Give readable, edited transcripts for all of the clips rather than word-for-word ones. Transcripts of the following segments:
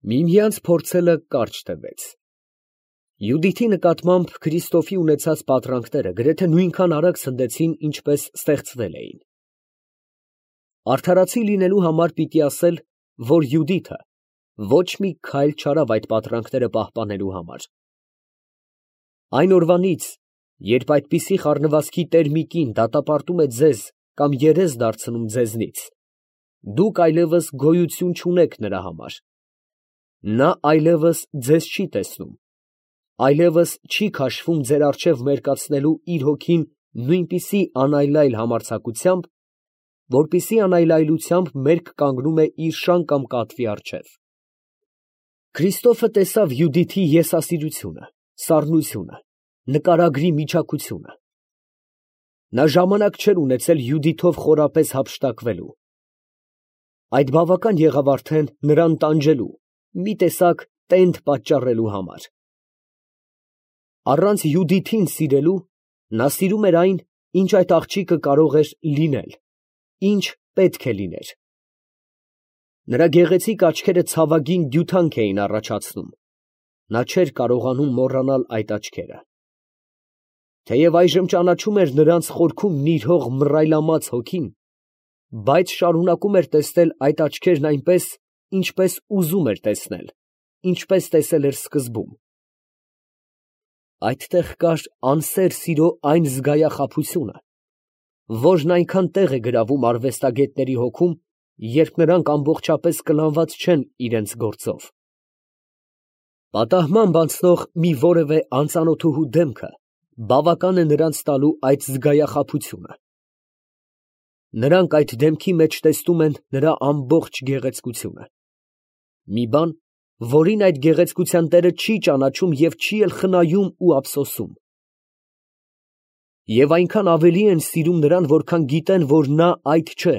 Միմյանց փորձելը կարճ տևեց։ Յուդիթի նկատմամբ Քրիստոֆի ունեցած պատրանքները գրեթե նույնքան արագ ցնդեցին, ինչպես ստեղծվել էին։ Արդարացի լինելու համար պիտի ասել, որ Յուդիթը ոչ մի քայլ չարավ այդ պատրանքները պահպանելու համար։ Այն օրվանից, երբ այդպիսի խառնվածքի տեր մի կին դատապարտում է ձեզ կամ երես դարձնում ձեզնից, դուք այլևս գոյություն չունեք նրա համար։ Նա այլևս ձեզ չի տեսնում, այլևս չի քաշվում ձեր առջև մերկացնելու իր հոգին նույնպիսի անայլայլ համարձակությամբ, որպիսի անայլայլությամբ մերկ կանգնում է իր շան կամ կատվի առջև։ Քրիստոֆը տեսավ Յուդիթի եսասիրությունը, սառնությունը, նկարագրի միջակությունը։ Նա ժամանակ չէր ունեցել Յուդիթով խորապես հափշտակվելու։ Այդ բավական եղավ արդեն նրան տանջելու, մի տեսակ տենդ պատճառելու համար։ Առանց Յուդիթին սիրելու, նա սիրում էր այն, ինչ այդ աղջիկը կարող էր լինել, ինչ պետք է լիներ։ Նրա գեղեցիկ աչքերը ցավագին դյութանք էին առաջացնում, նա չէր կարողանում մոռանալ այդ աչքերը։ Թեև այժմ ճանաչում էր նրանց խորքում նիրհող մռայլամած հոգին, բայց շարունակում էր տեսնել այդ աչքերն այնպես, ինչպես ուզում էր տեսնել, ինչպես տեսել էր սկզբում։ Այդտեղ կար անսեր սիրո այն զգայախաբությունը, որն այնքան տեղ է գրավում արվեստագետների հոգում, երբ նրանք ամբողջապես կլանված չեն իրենց գործով։ Պատահմամբ անցնող մի որևէ անծանոթուհու դեմքը բավական է նրանց տալու այդ զգայախաբությունը։ Նրանք այդ դեմքի մեջ տեսնում են նրա ամբողջ գեղեցկությունը։ Մի բան, որին այդ գեղեցկության տերը չի ճանաչում և չի էլ խնայում ու ափսոսում։ Եվ այնքան ավելի են սիրում նրան, որքան գիտեն, որ նա այդ չէ։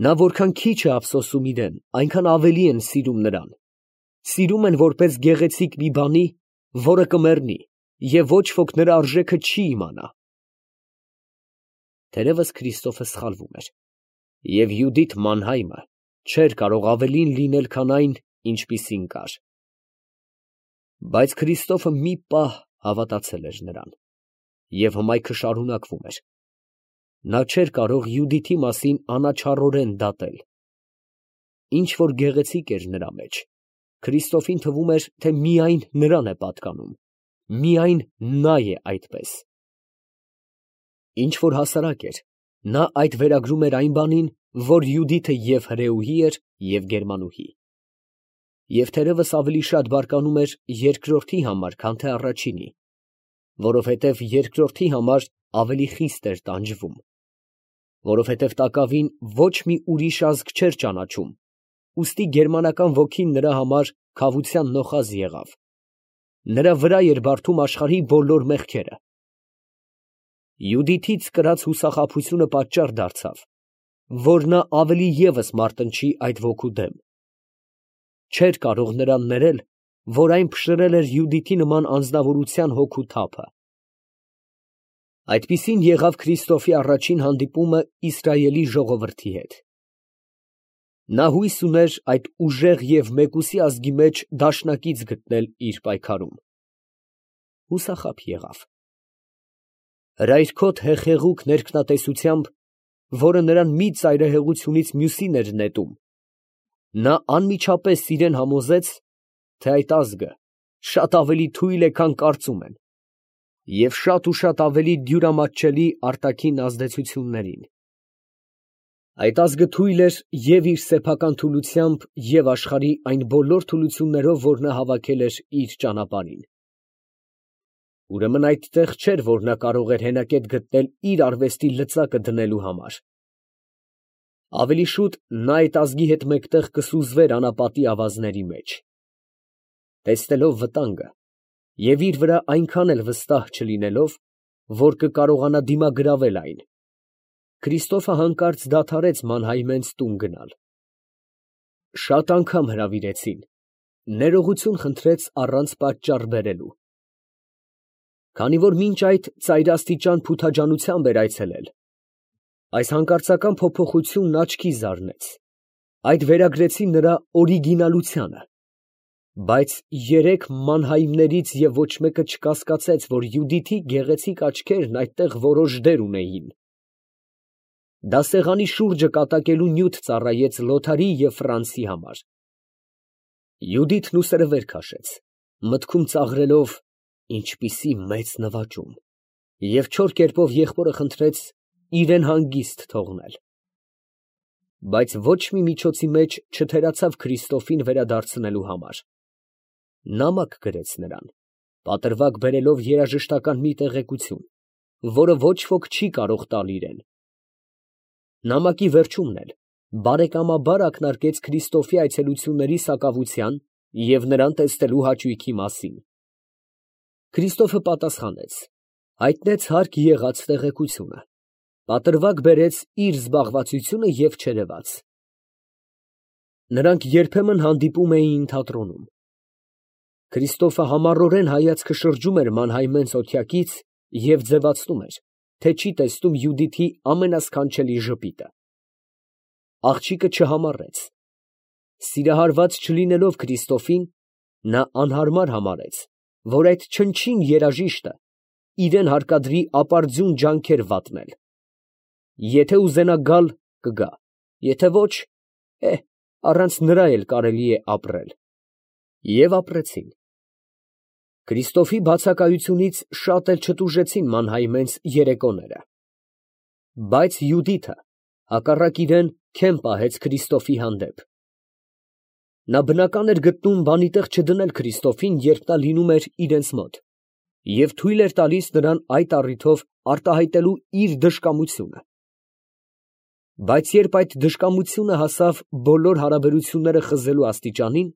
Նա որքան քիչ է ափսոսում իրան, այնքան ավելի են սիրում նրան։ Սիրում են որպես գեղեցիկ մի բանի, որը կմեռնի, և ոչ ոք նրա արժեքը չի իմանա։ Թերևս Քրիստոֆը սխալվում էր, և Յուդիթ Մանհայմը չէր կարող ավելին լինել, քան այն, ինչպիսին կար։ Բայց Քրիստոֆը մի պահ հավատացել էր նրան, և հմայքը շարունակվում էր։ Նա չէր կարող Յուդիթի մասին անաչառորեն դատել։ Ինչ որ գեղեցիկ էր նրա մեջ, Քրիստոֆին թվում էր, թե միայն նրան է պատկանում, միայն նա է այդպես։ Ինչ որ հասարակ էր, նա այդ վերագրում էր այն բանին, որ Յուդիթը և հրեուհի էր, և գերմանուհի։ Եվ թերևս ավելի շատ բարկանում էր երկրորդի համար, քան թե առաջինի, որովհետև երկրորդի համար ավելի խիստ էր տանջվում, որովհետև տակավին ոչ մի ուրիշ ազգ չէր ճանաչում, ուստի գերմանական ոգին նրա համար քավության նոխազ եղավ, նրա վրա էր բարդում աշխարհի բոլոր մեղքերը։ Յուդիթից կրած հուսախաբությունը պատճառ դարձավ, որ նա ավելի ևս մարտնչի այդ ոգու դեմ։ Չէր կարող նրան ներել, որ այն փշրել էր Յուդիթի նման անձնավորության հոգու թափը։ Այդպիսին եղավ Քրիստոֆի առաջին հանդիպումը Իսրայելի ժողովրդի հետ։ Նա հույս ուներ այդ ուժեղ և մեկուսի ազգի մեջ դաշնակից գտնել իր պայքարում։ Հուսախաբ եղավ։ Հրայրքոտ հեղեղուկ ներքնատեսությամբ, որը նրան մի ծայրահեղությունից մյուսին էր նետում, նա անմիջապես իրան համոզեց, թե այդ ազգը շատ ավելի թույլ է, քան կարծում են, և շատ ու շատ ավելի դյուրամատչելի արտաքին ազդեցություններին։ Այդ ազգը թույլ էր և իր սեփական թուլությամբ, և աշխարհի այն բոլոր թուլություններով, որ նա հավաքել էր իր ճանապարհին։ Ուրեմն այդտեղ չէր, որ նա կարող էր հենակետ գտնել իր արվեստի լծակը դնելու համար։ Ավելի շուտ նա այդ ազգի հետ մեկտեղ կսուզվեր անապատի ավազների մեջ։ Տեսնելով վտանգը և իր վրա այնքան էլ վստահ չլինելով, որ կկարողանա դիմագրավել այն, Քրիստոֆը հանկարծ դադարեց Մանհայմենց տուն գնալ։ Շատ անգամ հրավիրեցին, ներողություն խնդրեց առանց պատճառ բերելու։ Քանի որ մինչ այդ ծայրաստիճան փութաջանությամբ էր այցելել, այս հանկարծական փոփոխությունն աչքի զարնեց։ Այդ վերագրեցին նրա օրիգինալությանը, բայց երեք մանհայմներից և ոչ մեկը չկասկածեց, որ Յուդիթի գեղեցիկ աչքերն այդտեղ որոշ դեր ունեին։ Դասեղանի շուրջը կատակելու նյութ ծառայեց Լոթարի և Ֆրանցի համար։ Յուդիթն ուսերը վեր քաշեց, մտքում ծաղրելով ինչպիսի մեծ նվաճում, և չոր կերպով եղբորը խնդրեց իրեն հանգիստ թողնել։ Բայց ոչ մի միջոցի մեջ չթերացավ Քրիստոֆին վերադարձնելու համար։ Նամակ գրեց նրան, պատրվակ բերելով երաժշտական մի տեղեկություն, որը ոչ ոք չի կարող տալ իրեն։ Նամակի վերջումն էլ բարեկամաբար ակնարկեց Քրիստոֆի այցելությունների սակավության և նրան տեսնելու հաճույքի մասին։ Քրիստոֆը պատասխանեց, հայտնեց հարկ եղած տեղեկությունը, պատրվակ բերեց իր զբաղվածությունը և չերևաց։ Նրանք երբեմն հանդիպում էին թատրոնում։ Քրիստոֆը համառորեն հայացքը շրջում էր մանհայմեն սոթյակից և ձևացնում էր, թե չի տեսնում Յուդիթի ամենասքանչելի ժպիտը։ Աղջիկը չհամառեց։ Սիրահարված չլինելով Քրիստոֆին, նա անհարմար համարեց, որ այդ չնչին երաժիշտը իրան հարկադրի ապարդյուն ջանքեր վատնել։ Եթե ուզենա գալ, կգա, եթե ոչ, առանց նրա էլ կարելի է ապրել։ Եվ ապրեցին։ Քրիստոֆի բացակայությունից շատ էլ չտուժեցին մանհայմենց երեկոները։ Բայց Յուդիթը հակառակ իրեն քեմ պահեց Քրիստոֆի հանդեպ։ Նա բնական էր գտնում բանի տեղ չդնել Քրիստոֆին, երբ նա լինում էր իրենց մոտ, և թույլ էր տալիս նրան այդ առիթով արտահայտելու իր դժկամությունը։ Բայց երբ այդ դժկամությունը հասավ բոլոր հարաբերությունները խզելու աստիճանին,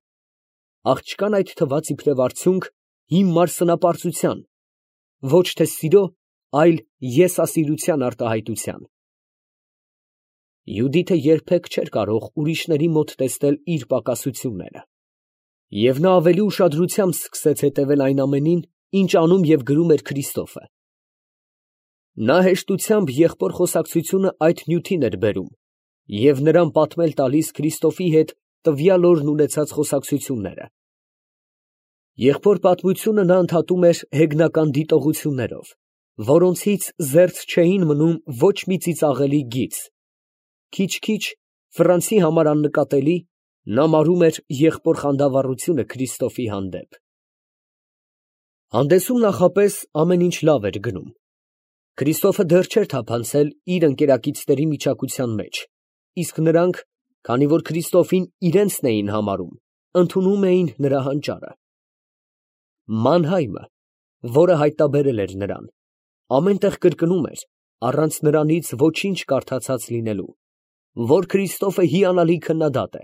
աղջկան այդ թվաց իբրև արդյունք հիմար սնապարծության, ոչ թե սիրո, այլ եսասիրության արտահայտության։ Յուդիթը երբեք չէր կարող ուրիշների մոտ տեսնել իր պակասությունները, և նա ավելի ուշադրությամբ սկսեց հետևել այն ամենին, ինչ անում և գրում էր Քրիստոֆը։ Նա հեշտությամբ եղբոր խոսակցությունը այդ նյութին էր բերում և նրան պատմել տալիս Քրիստոֆի հետ տվյալ օրն ունեցած խոսակցությունները։ Եղբոր պատմությունը նա ընդհատում էր հեգնական դիտողություններով, որոնցից զերծ չէին մնում ոչ մի ծիծաղելի գիծ։ Քիչ֊քիչ, Ֆրանցի համար աննկատելի, նա մարում էր եղբոր խանդավառությունը Քրիստոֆի հանդեպ։ Հանդեսում նախապես ամեն ինչ լավ էր գնում։ Քրիստոֆը դեռ չէր թափանցել իր ընկերակիցների միջակության մեջ, իսկ նրանք, քանի որ Քրիստոֆին իրենցն էին համարում, ընդունում էին նրա հանճարը։ Մանհայմը, որը հայտնաբերել էր նրան, ամեն տեղ կրկնում էր, առանց նրանից ոչինչ կարդացած լինելու, որ Քրիստոֆը հիանալի քննադատ է։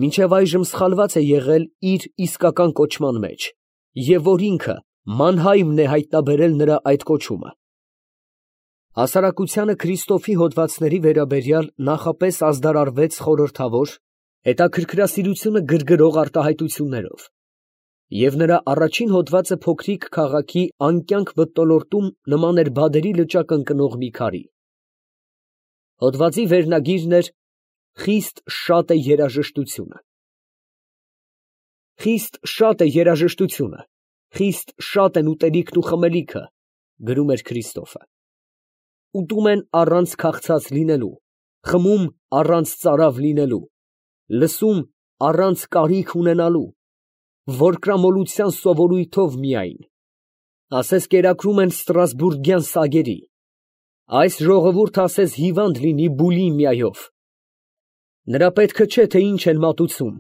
Մինչև այժմ սխալված է եղել իր իսկական կոչման մեջ, և որ ինքը մանհայմն է հայտնաբերել նրա այդ կոչումը։ Հասարակությանը Քրիստոֆի հոդվածների վերաբերյալ նախապես ազդարարվեց խորհրդավոր, հետաքրքրասիրությունը գրգռող արտահայտություններով, և նրա առաջին հոդվածը փոքրիկ քաղաքի անկյանք մթնոլորտում նման էր բադերի լճակ ընկնող մի քարի։ Հոդվածի վերնագիրն էր «Խիստ շատ է երաժշտությունը»։ «Խիստ շատ է երաժշտությունը, խիստ շատ են ուտելիքն ու խմելիքը», գրում էր Քրիստոֆը։ Ուտում են առանց քաղցած լինելու, խմում առանց ծարավ լինելու, լսում առանց կարիք ունենալու, որկրամոլության սովորույթով միայն, ասես կերակրում են ստրասբուրգյան սագերի, այս ժողովուրդը ասես հիվանդ լինի բուլիմիայով։ Նրա պետքը չէ, թե ինչ են մատուցում,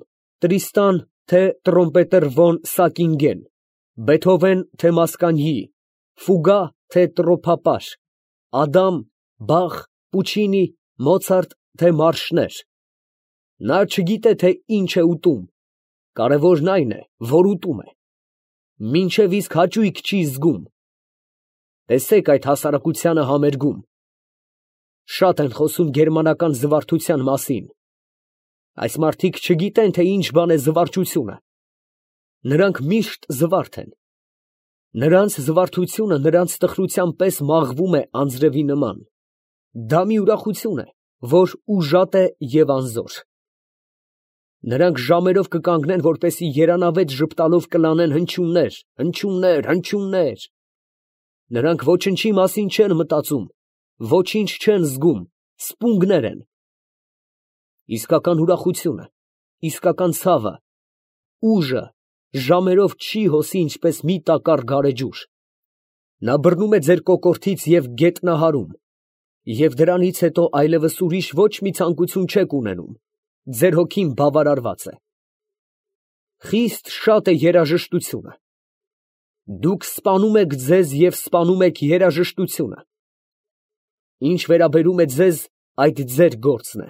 Տրիստան, թե տրոմպետեր ֆոն Սակինգեն, Բեթհովեն, թե Մասկանյի, Ֆուգա, թե տրոփապար, Ադամ, Բախ, Պուչինի, Մոցարտ, թե մարշներ։ Նա չգիտե, թե ինչ է ուտում, կարևորն այն է, որ ուտում է, մինչև իսկ հաճույք չի զգում։ Տեսեք այդ հասարակությանը համերգում։ Շատ են խոսում գերմանական զվարթության մասին։ Այս մարդիկ չգիտեն, թե ինչ բան է զվարճությունը։ Նրանք միշտ զվարթ են։ Նրանց զվարթությունը նրանց տխրության պես մաղվում է անձրևի նման։ Դա մի ուրախություն է, որ ուժատ է և անզոր։ Նրանք ժամերով կկանգնեն, որպեսզի երանավետ ժպտալով կլանեն հնչյուններ, հնչյուններ, հնչյուններ։ Նրանք ոչնչի մասին չեն մտածում, ոչինչ չեն զգում, սպունգներ են։ Իսկական ուրախությունը, իսկական ցավը, ուժը ժամերով չի հոսի ինչպես մի տակառ գարեջուր։ Նա բռնում է ձեր կոկորդից և գետնահարում, և դրանից հետո այլևս ուրիշ ոչ մի ցանկություն չեք ունենում, ձեր հոգին բավարարված է։ Խիստ շատ է երաժշտությունը։ Դուք սպանում եք ձեզ և սպանում եք երաժշտությունը։ Ինչ վերաբերում է ձեզ, այդ ձեր գործն է։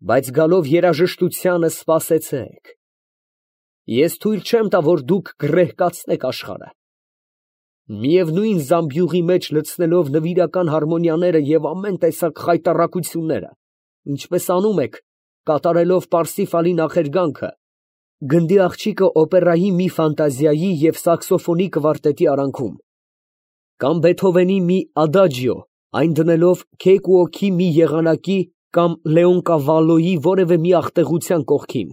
Բայց գալով երաժշտությանը սպասեցեք։ Ես թույլ չեմ տա, որ դուք գռեհկացնեք աշխարհը։ Միևնույն զամբյուղի մեջ լցնելով նվիրական հարմոնիաները և ամեն տեսակ խայտառակությունները, ինչպես անում եք, կատարելով Պարսիֆալի նախերգանքը, գնդի աղջիկը օպերայի մի ֆանտազիայի և սաքսոֆոնի կվարտետի արանքում, կամ Բեթհովենի մի ադաջիո, այն դնելով Քեյկուոքի մի եղանակի կամ Լեոնկավալոյի որևէ մի աղտեղության կողքին։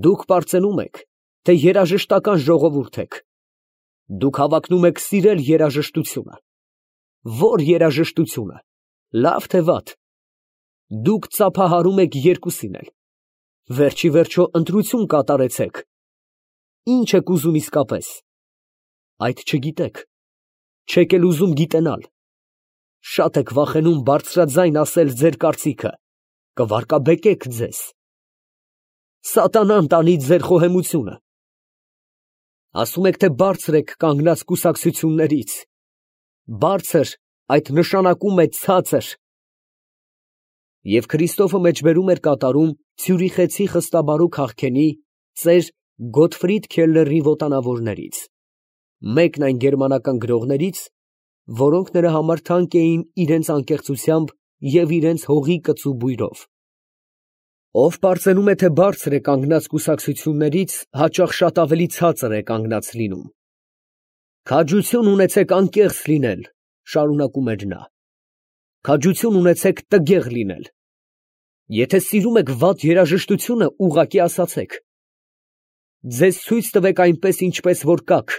Դուք պարծենում եք, թե երաժշտական ժողովուրդ եք։ Դուք հավակնում եք սիրել երաժշտությունը։ Ո՞ր երաժշտությունը, լավ թե վատ։ Դուք ծափահարում եք երկուսին էլ։ Վերջ ի վերջո ընտրություն կատարեցեք։ Ի՞նչ եք ուզում իսկապես։ Այդ չգիտեք, չեք էլ ուզում գիտենալ։ Շատ եք վախենում բարձրաձայն ասել ձեր կարծիքը, կվարկաբեկեք ձեզ։ Սատանան տանի ձեր խոհեմությունը։ Ասում եք, թե բարձր եք կանգնած կուսակցություններից։ Բարձր, այդ նշանակում է ցածր։ Եվ Քրիստոֆը մեջբերում էր կատարում ցյուրիխեցի խստաբարու քաղքենի ծեր Գոտֆրիդ Քելլերի ոտանավորներից, մեկն այն գերմանական գրողներից, որոնք նրա համար թանկ էին իրենց անկեղծությամբ և իրենց հողի կծու բույրով։ Ով պարծենում է, թե բարձր է կանգնած կուսակցություններից, հաճախ շատ ավելի ցածր է կանգնած լինում։ Քաջություն ունեցեք անկեղծ լինել, շարունակում էր նա։ Քաջություն ունեցեք տգեղ լինել։ Եթե սիրում եք վատ երաժշտությունը, ուղղակի ասացեք։ Ձեզ ցույց տվեք այնպես, ինչպես որ կաք։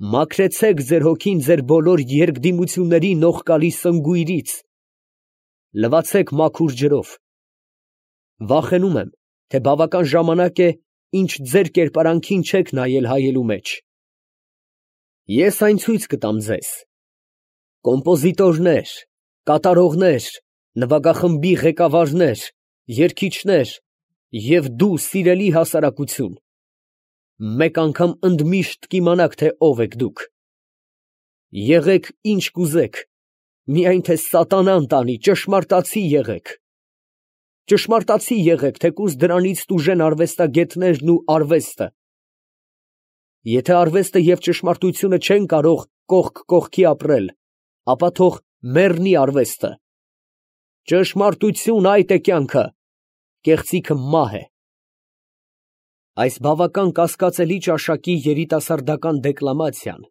Մաքրեցեք ձեր հոգին ձեր բոլոր երկդիմությունների նողկալի սնգույրից։ Լվացեք մաքուր ջրով։ Վախենում եմ, թե բավական ժամանակ է, ինչ ձեր կերպարանքին չեք նայել հայելու մեջ։ Ես այն ցույց կտամ ձեզ։ Կոմպոզիտորներ, կատարողներ, նվագախմբի ղեկավարներ, երգիչներ և դու, սիրելի հասարակություն, մեկ անգամ ընդմիշտ կիմանաք, թե ով եք դուք։ Եղեք ինչ կուզեք, միայն թե սատանան տանի, ճշմարտացի եղեք։ Ճշմարտացի եղեք, թեկուզ դրանից տուժեն արվեստագետներն ու արվեստը։ Եթե արվեստը և ճշմարտությունը չեն կարող կողք կողքի ապրել, ապա թող մեռնի արվեստը։ Ճշմարտություն, այդ է կյանքը, կեղծիքը մահ է։ Այս բավական կասկածելի ճաշակի երիտասարդական դեկլամացիան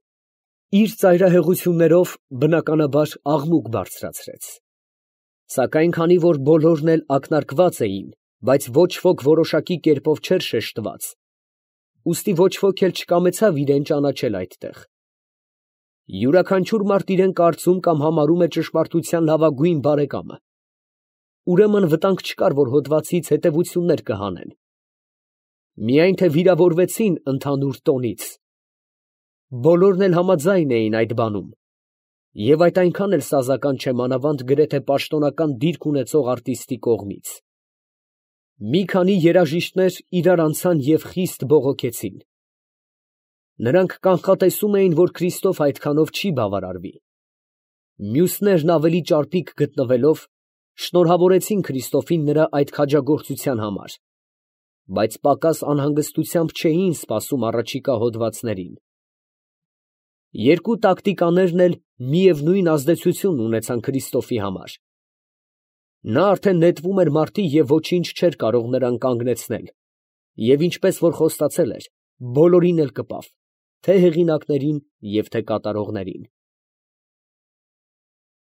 իր ծայրահեղություններով բնականաբար աղմուկ բարձրացրեց։ Սակայն քանի որ բոլորն էլ ակնարկված էին, բայց ոչ ոք որոշակի կերպով չէր շեշտված, ուստի ոչ ոք էլ չկամեցավ իրան ճանաչել այդտեղ։ Յուրաքանչյուր մարդ իրան կարծում կամ համարում է ճշմարտության լավագույն բարեկամը։ Ուրեմն վտանգ չկար, որ հոդվածից հետևություններ կհանեն։ Միայն թե վիրավորվեցին ընդհանուր տոնից։ Բոլորն էլ համաձայն էին այդ բանում։ Եվ այդ այնքան էլ սազական չէ մանավանդ գրեթե պաշտոնական դիրք ունեցող արտիստի կողմից։ Մի քանի երաժիշտներ իրար անցան և խիստ բողոքեցին։ Նրանք կանխատեսում էին, որ Քրիստոֆ այդքանով չի բավարարվի։ Մյուսներն ավելի ճարպիկ գտնվելով, շնորհավորեցին Քրիստոֆին նրա այդ քաջագործության համար, բայց պակաս անհանգստությամբ չէին սպասում առաջիկա հոդվածներին։ Երկու տակտիկաներն էլ միևնույն ազդեցությունն ունեցան Քրիստոֆի համար։ Նա արդեն նետվում էր մարդի և ոչինչ չէր կարող նրան կանգնեցնել, և ինչպես որ խոստացել էր, բոլորին էլ կպավ, թե՛ հեղինակներին և թե՛ կատարողներին։